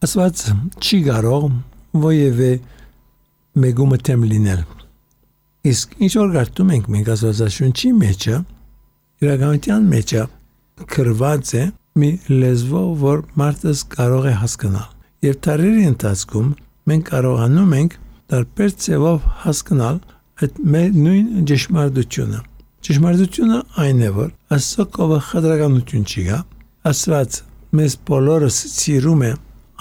Աստված չի կարող ովևէ մեգումը թեմ լինել։ Իսկ ինչ որ գարտում ենք մենք Աստվածաշունչի մեջը, իրականության մեջը գրված է մի լեզվով, որ մարդը կարող է հասկանալ։ Եվ տարերի ընթացքում մենք կարողանում ենք տարբեր ձևով հասկանալ այդ նույն ճշմարտությունը։ Ճշմարտությունը այն է, որ Աստծո կողը խտրականություն չի գա։ Աստված մեզ բոլորս սիրում է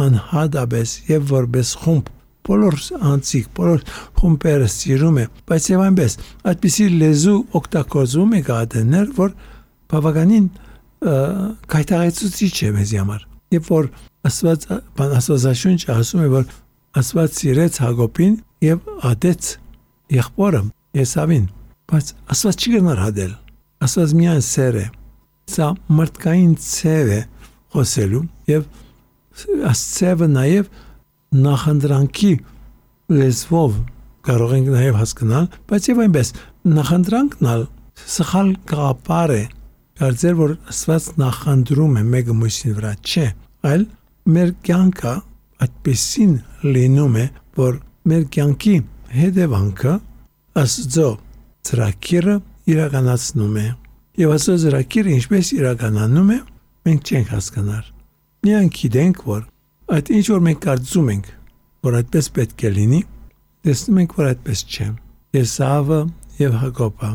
անհատապես եւ որպես խումբ, բոլոր անձիկ, բոլոր խումբերը սիրում է, բայց եւ այնպես այդպիսի լեզու օգտագործում է գադներ, որ բավականին կայտաղեցուցիչ է մեզ համար։ Եվ որ Աստվածաշունչը ասում է, որ Աստված սիրեց Հակոբին եւ ադեց եղբորը Էսավին, բայց Աստված չի գնար հադել։ Աստված միայն սեր է։ Սա մարդկային ցև է խոսելու եւ Աստծևը նաեւ նախանդրանքի լեզվով կարող ենք նաեւ հասկանալ, բայց եւ այնպես նախանդրանքն ալ սխալ գաղափար է, կարծել որ Աստված նախանդրում է մեկը մյուսին վրա, չէ, այլ մեր կյանքը այդպեսին լինում է, որ մեր կյանքի հետևանքը Աստծո ծրագիրը իրականացնում է։ Եվ Աստծո ծրագիրը ինչպես իրականանում է, մենք չենք հասկանալ։ Միայն գիտենք, որ այդ ինչ որ մենք կարծում ենք, որ այդպես պետք է լինի, տեսնում ենք, որ այդպես չէ։ Էսավը եւ Հակոբը,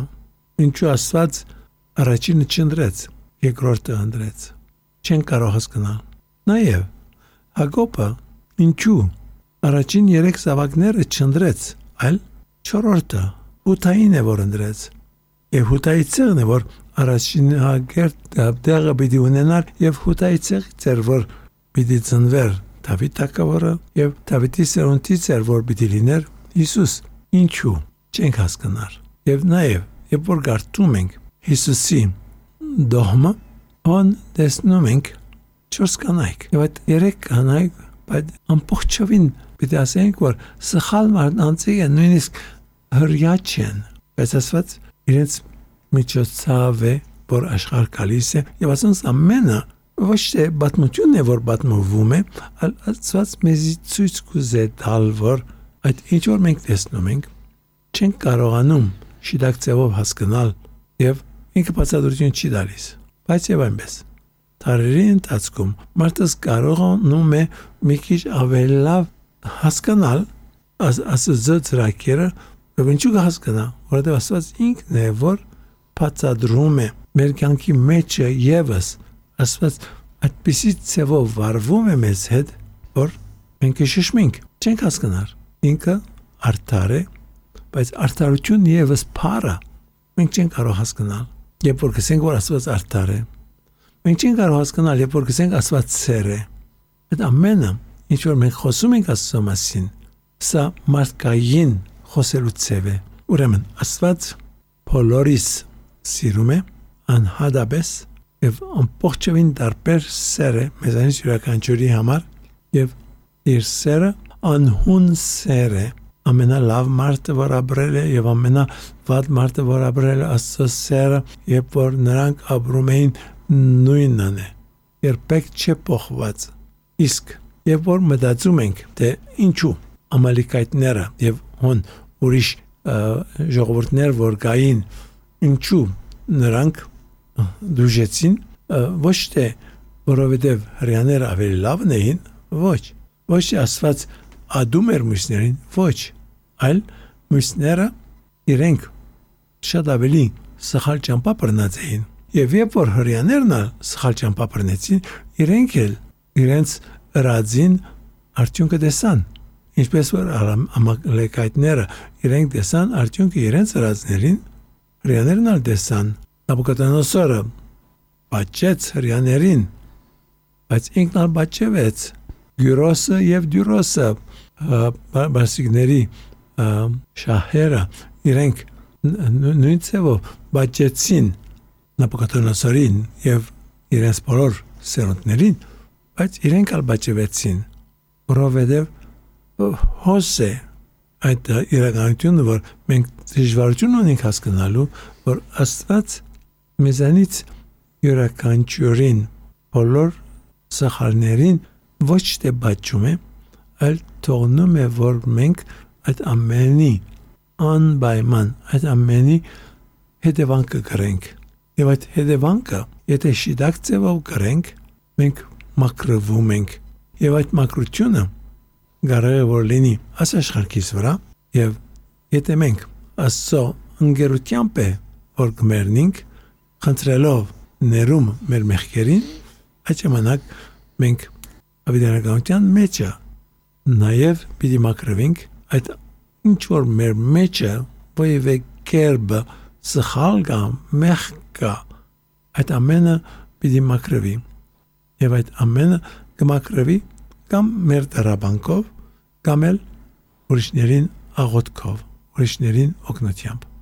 ինչու Աստված առաջինը չընտրեց, երկրորդը ընտրեց։ Չեն կարող հասկանալ։ Նաեւ Հակոբը ինչու առաջին 3 զավակները չընտրեց, այլ չորրորդը Հութային է որ ընտրեց։ Եվ Հութայի ցեղն է որ առաջին հագերտ դեղը պիտի ունենար եւ Հութայի ցեղից էր որ պիտի ծնվեր Դավիթ թագավորը եւ Դավիթի սերունդից էր որ պիտի լիներ Հիսուս։ Ինչու չենք հասկանալ։ Եվ նաեւ երբ որ գարտում ենք Հիսուսի դողմը, ան տեսնում ենք 4 կանայք։ Եվ այդ 3 կանայք բայց ամբողջովին պիտի ասենք որ սխալ մարդանցիկ են, նույնիսկ հրյա չեն, բայց Աստված իրենց միջոցով է, որ աշխարհ գալիս է, եւ ասենց ամենը ոչ թե պատմությունն է, որ պատմվում է, այլ Աստված մեզի ցույց կուզե տալ, որ այդ ինչ որ մենք տեսնում ենք, չենք կարողանում շիտակ ձևով հասկանալ եւ ինքը բացատրություն չի տալիս, բայց եւ այնպես տարերի ընթացքում մարդը կարողանում է մի քիչ ավելի լավ հասկանալ Աստծո ծրագիրը, եւ ինչու կհասկանա, որովհետեւ Աստված ինքն է, որ բացատրում է մեր կյանքի մեջը եւս Աստված այդպիսի ցևով վարվում է մեզ հետ, որ մենք շշմենք, չենք հասկանալ։ Ինքը արդար է, բայց արդարություն եւս փառը մենք չենք կարող հասկանալ։ Երբ որ գսենք որ Աստված արդար է, մենք չենք կարող հասկանալ, երբ որ գսենք Աստված սեր է։ Այդ ամենը, ինչ որ մենք խոսում ենք Աստծո մասին, սա մարդկային խոսելու ցև է։ Ուրեմն Աստված բոլորիս սիրում է անհատապես եւ ամբողջովին տարբեր սեր է մեզանից յուրաքանչյուրի համար եւ իր սերը անհուն սեր է ամենալավ մարդը որ ապրել է եւ ամենավատ մարդը որ ապրել է Աստծո սերը երբ որ նրանք ապրում էին նույնն է երբեք չփոխված իսկ երբ որ մտածում ենք թե ինչու ամալիկայտները եւ հոն ուրիշ ժողովուրդներ որ կային ինչու նրանք դուժեցին ոչ թե որովհետև հрьяաները ավելի լավն էին ոչ թե Աստված ադում էր մյուսներին ոչ այլ մյուսները իրենք շատ ավելի սխալ ճամփա բռնած էին եւ երբ որ հрьяաներն սխալ ճամփա բռնեցին իրենք էլ իրենց ռածին արդյունքը տեսան ինչպես որ ամալեկայտները իրենք տեսան արդյունքը իրենց ռածներին հрьяաներն ալ տեսան Նաբուկադանոսորը բաճեց հрьяաներին բայց ինքն ալ բաճեց Գյուրոսը եւ Դյուրոսը բարսիկների շահերը իրենք նույն ցևով բաճեցին Նաբուկադանոսորին եւ իրենց բոլոր սերունդներին բայց իրենք ալ բաճվեցին որովհետեւ հոսե այդ իրականությունը որ մենք դժվարություն ունենք հասկանալու որ Աստված մեզանից յուրաքանչյուրին բոլոր սխալներին ոչ թե բաճում է, այլ թողնում է, որ մենք այդ ամենի անպայման այդ ամենի հետևանքը կրենք։ Եվ այդ հետևանքը, եթե շիտակ ձևով կրենք, մենք մաքրվում ենք։ Եվ այդ մաքրությունը կարող է որ լինի աշխարհքիս վրա, եւ եթե մենք Աստծո ընկերությամբ է որ կմեռնենք, խնդրելով ներում մեր մեղքերին, այդ ժամանակ մենք ավետարանության մեջը նաև պիտի մաքրվենք այդ ինչ որ մեր մեջը ովևէ կերպ սխալ կամ մեղք այդ ամենը պիտի մաքրվի եւ այդ ամենը կմաքրվի կամ մեր դրաբանքով կամ էլ ուրիշներին աղոթքով ուրիշներին օգնությամբ